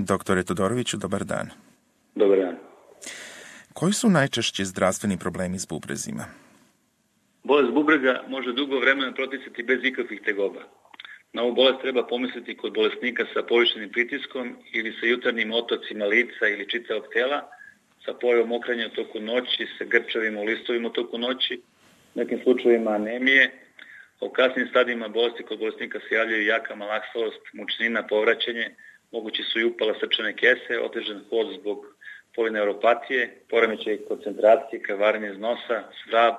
Doktore Todoroviću, dobar dan. Dobar dan. Koji su najčešće zdravstveni problemi s bubrezima? Bolest bubrega može dugo vremena proticati bez ikakvih tegoba. Na ovu bolest treba pomisliti kod bolesnika sa povišenim pritiskom ili sa jutarnjim otocima lica ili čitavog tela, sa pojavom mokrenja u toku noći, sa grčavima u listovima u toku noći, u nekim slučajevima anemije. U kasnim stadijima bolesti kod bolesnika se javljaju jaka malaksalost, mučnina, povraćanje, mogući su i upala srčane kese, otežan hod zbog polineuropatije, poremećaj koncentracije, krvarenje iz nosa, svrab,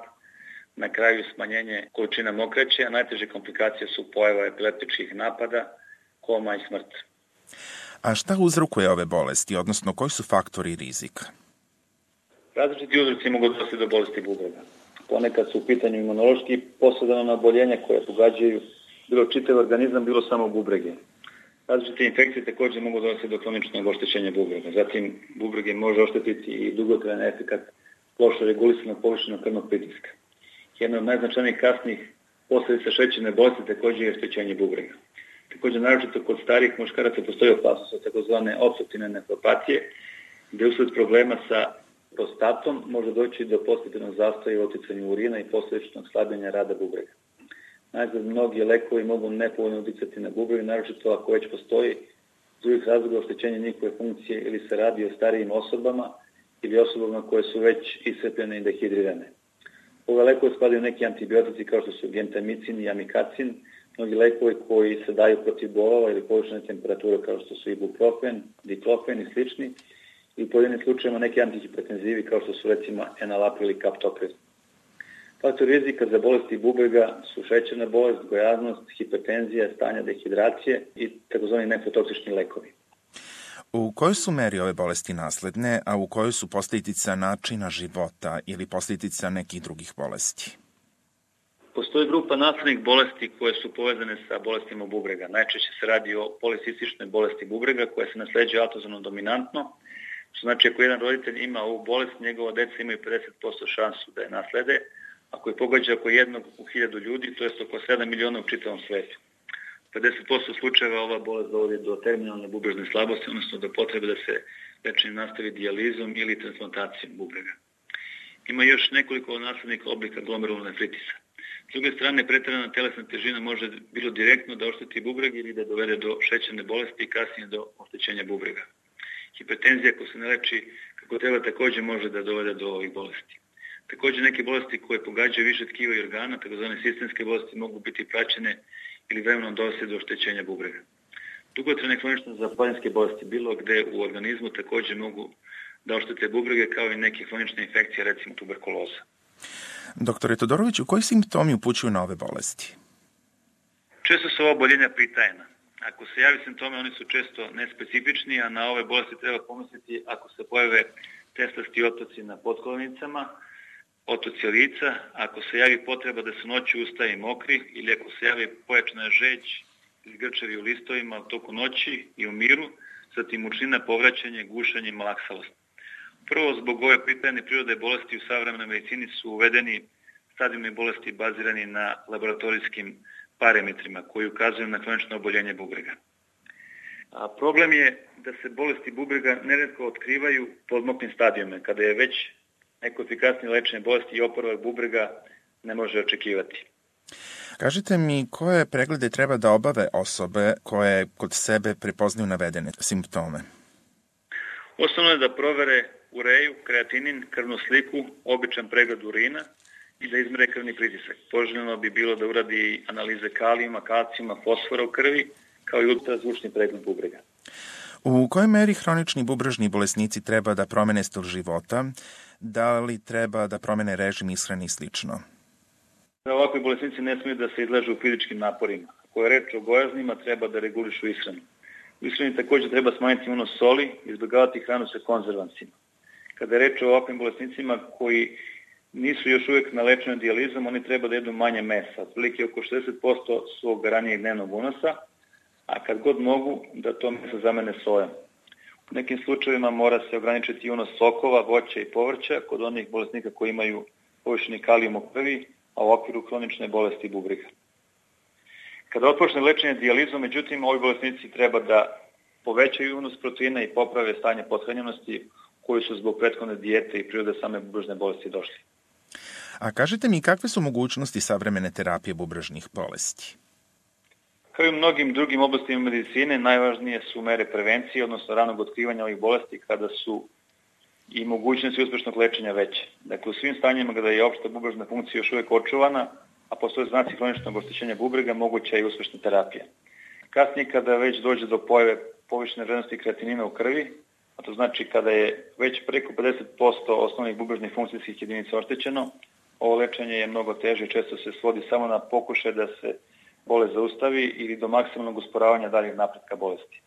na kraju smanjenje količina mokraće, a najteže komplikacije su pojava epileptičkih napada, koma i smrt. A šta uzrokuje ove bolesti, odnosno koji su faktori rizika? Različiti uzroci mogu dovesti do bolesti bubrega. Ponekad su u pitanju imunološki posredovana oboljenja koje pogađaju bilo čitav organizam, bilo samo bubrege. Različite infekcije također mogu dovesti do kroničnog oštećenja bubrega. Zatim, bubrege može oštetiti i dugotrajan efekat loše regulisanog povišenog krvnog pritiska. Jedna od najznačajnijih kasnih posljedica šećerne bolesti također je oštećenje bubrega. Također, naročito kod starijih muškaraca postoji opasnost od takozvane opstruktivne nefropatije, gdje usled problema sa prostatom može doći do postepenog zastoja u oticanju urina i posljedičnog slabljenja rada bubrega. Najzad, mnogi lekovi mogu nepovoljno uticati na bubreg, naročito ako već postoji iz drugih razloga oštećenja njihove funkcije ili se radi o starijim osobama ili osobama koje su već iscrpljene i dehidrirane. Ove lekove spadaju neki antibiotici kao što su gentamicin i amikacin, mnogi lekovi koji se daju protiv bolova ili povišene temperature kao što su ibuprofen, diklofen i slični, i u pojedinim slučajima neki antihipertenzivi kao što su recimo enalapril i kaptopril. Faktori rizika za bolesti bubrega su šećerna bolest, gojaznost, hipertenzija, stanja dehidracije i tzv. Nefrotoksični lekovi. U kojoj su meri ove bolesti nasledne, a u kojoj su posljedica načina života ili posljedica nekih drugih bolesti? Postoji grupa naslednih bolesti koje su povezane sa bolestima bubrega. Najčešće se radi o policističnoj bolesti bubrega koja se nasleđuje autozono dominantno. Znači, ako jedan roditelj ima ovu bolest, njegova deca imaju 50% šansu da je naslede. Ako je pogađa oko 1 u 1000 ljudi, to je oko 7 miliona u čitavom svetu. 50% slučajeva ova bolest dovodi do terminalne bubrežne slabosti, odnosno do potrebe da se lečenje nastavi dijalizom ili transplantacijom bubrega. Ima još nekoliko naslednih oblika glomerulne nefritisa. S druge strane, pretjerana telesna težina može bilo direktno da ošteti bubreg ili da dovede do šećerne bolesti i kasnije do oštećenja bubrega. Hipertenzija, ako se ne leči kako treba, također može da dovede do ovih bolesti. Također, neke bolesti koje pogađaju više tkiva i organa, takozvane sistemske bolesti, mogu biti praćene ili vremenom dovesti do oštećenja bubrega. Dugotrajne kronične zapaljenske bolesti bilo gde u organizmu također mogu da oštete bubrege, kao i neke kronične infekcije, recimo tuberkuloza. Doktore Todoroviću, koji simptomi upućuju na ove bolesti? Često su ova oboljenja pritajna. Ako se javi simptome, oni su često nespecifični, a na ove bolesti treba pomisliti ako se pojave teslasti otoci na potkolenicama, otoci lica, ako se javi potreba da se noću ustaje mokri ili ako se javi pojačana žeđ ili grčevi u listovima u toku noći i u miru, zatim mučnina, povraćanje, gušanje i malaksalost. Prvo, zbog ove pritajne prirode bolesti u savremenoj medicini su uvedeni stadijumi bolesti bazirani na laboratorijskim parametrima koji ukazuju na kronično oboljenje bubrega. A problem je da se bolesti bubrega neretko otkrivaju po odmoklim stadijuma, kada je već neko efikasnije lečenje bolesti i oporavak bubrega ne može očekivati. Kažite mi, koje preglede treba da obave osobe koje kod sebe prepoznaju navedene simptome? Osnovno je da provere ureju, kreatinin, krvnu sliku, običan pregled urina i da izmere krvni pritisak. Poželjno bi bilo da uradi analize kalijuma, kalcijuma, fosfora u krvi, kao i ultrazvučni pregled bubrega. U kojoj meri hronični bubrežni bolesnici treba da promene stil života? Da li treba da promene režim ishrane i slično? Ovakvi bolesnici ne smiju da se izlažu fizičkim naporima. Ako je reč o gojaznima, treba da regulišu ishranu. U ishrani također treba smanjiti unos soli i izbjegavati hranu sa konzervansima. Kada je reč o ovakvim bolesnicima koji nisu još uvijek na lečenju dijalizom, oni treba da jedu manje mesa, otprilike oko 60% svog ranijeg dnevnog unosa, a kad god mogu da to meso zamene sojom. U nekim slučajevima mora se ograničiti unos sokova, voća i povrća kod onih bolesnika koji imaju povišeni kalijum u krvi, a u okviru kronične bolesti bubrega. Kada otpočne lečenje dijalizom, međutim, ovi bolesnici treba da povećaju unos proteina i poprave stanje pothranjenosti koji su zbog prethodne dijete i prirode same bubrežne bolesti došli. A kažete mi, kakve su mogućnosti savremene terapije bubrežnih bolesti? Kao i u mnogim drugim oblastima medicine, najvažnije su mere prevencije, odnosno ranog otkrivanja ovih bolesti kada su i mogućnosti uspešnog lečenja veće. Dakle, u svim stanjima kada je opšta bubrežna funkcija još uvek očuvana, a postoje znaci hroničnog oštećenja bubrega, moguća je i uspešna terapija. Kasnije, kada već dođe do pojave povišene vrednosti kreatinina u krvi, a to znači kada je već preko 50% osnovnih bubrežnih funkcijskih jedinica oštećeno, ovo lečenje je mnogo teže i često se svodi samo na pokušaj da se bolest zaustavi ili do maksimalnog usporavanja daljeg napretka bolesti.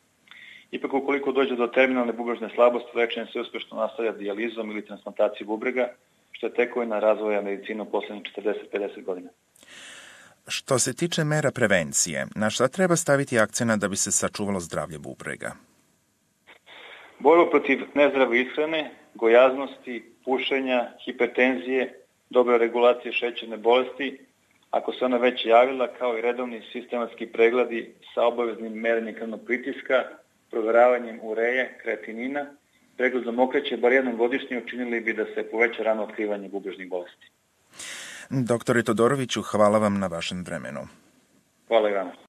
Ipak, ukoliko dođe do terminalne bubrežne slabosti, lečenje se uspešno nastavlja dijalizom ili transplantacijom bubrega, što je tekovina razvoja medicine u poslednjih 40-50 godina. Što se tiče mera prevencije, na šta treba staviti akcenat da bi se sačuvalo zdravlje bubrega? Borba protiv nezdrave ishrane, gojaznosti, pušenja, hipertenzije, dobra regulacija šećerne bolesti, ako se ona već javila, kao i redovni sistematski pregledi sa obaveznim merenjem krvnog pritiska, proveravanjem ureje, kreatinina, pregledom okreće bar jednom godišnje učinili bi da se poveća rano otkrivanje bubrežnih bolesti. Doktore Todoroviću, hvala vam na vašem vremenu. Hvala i vama.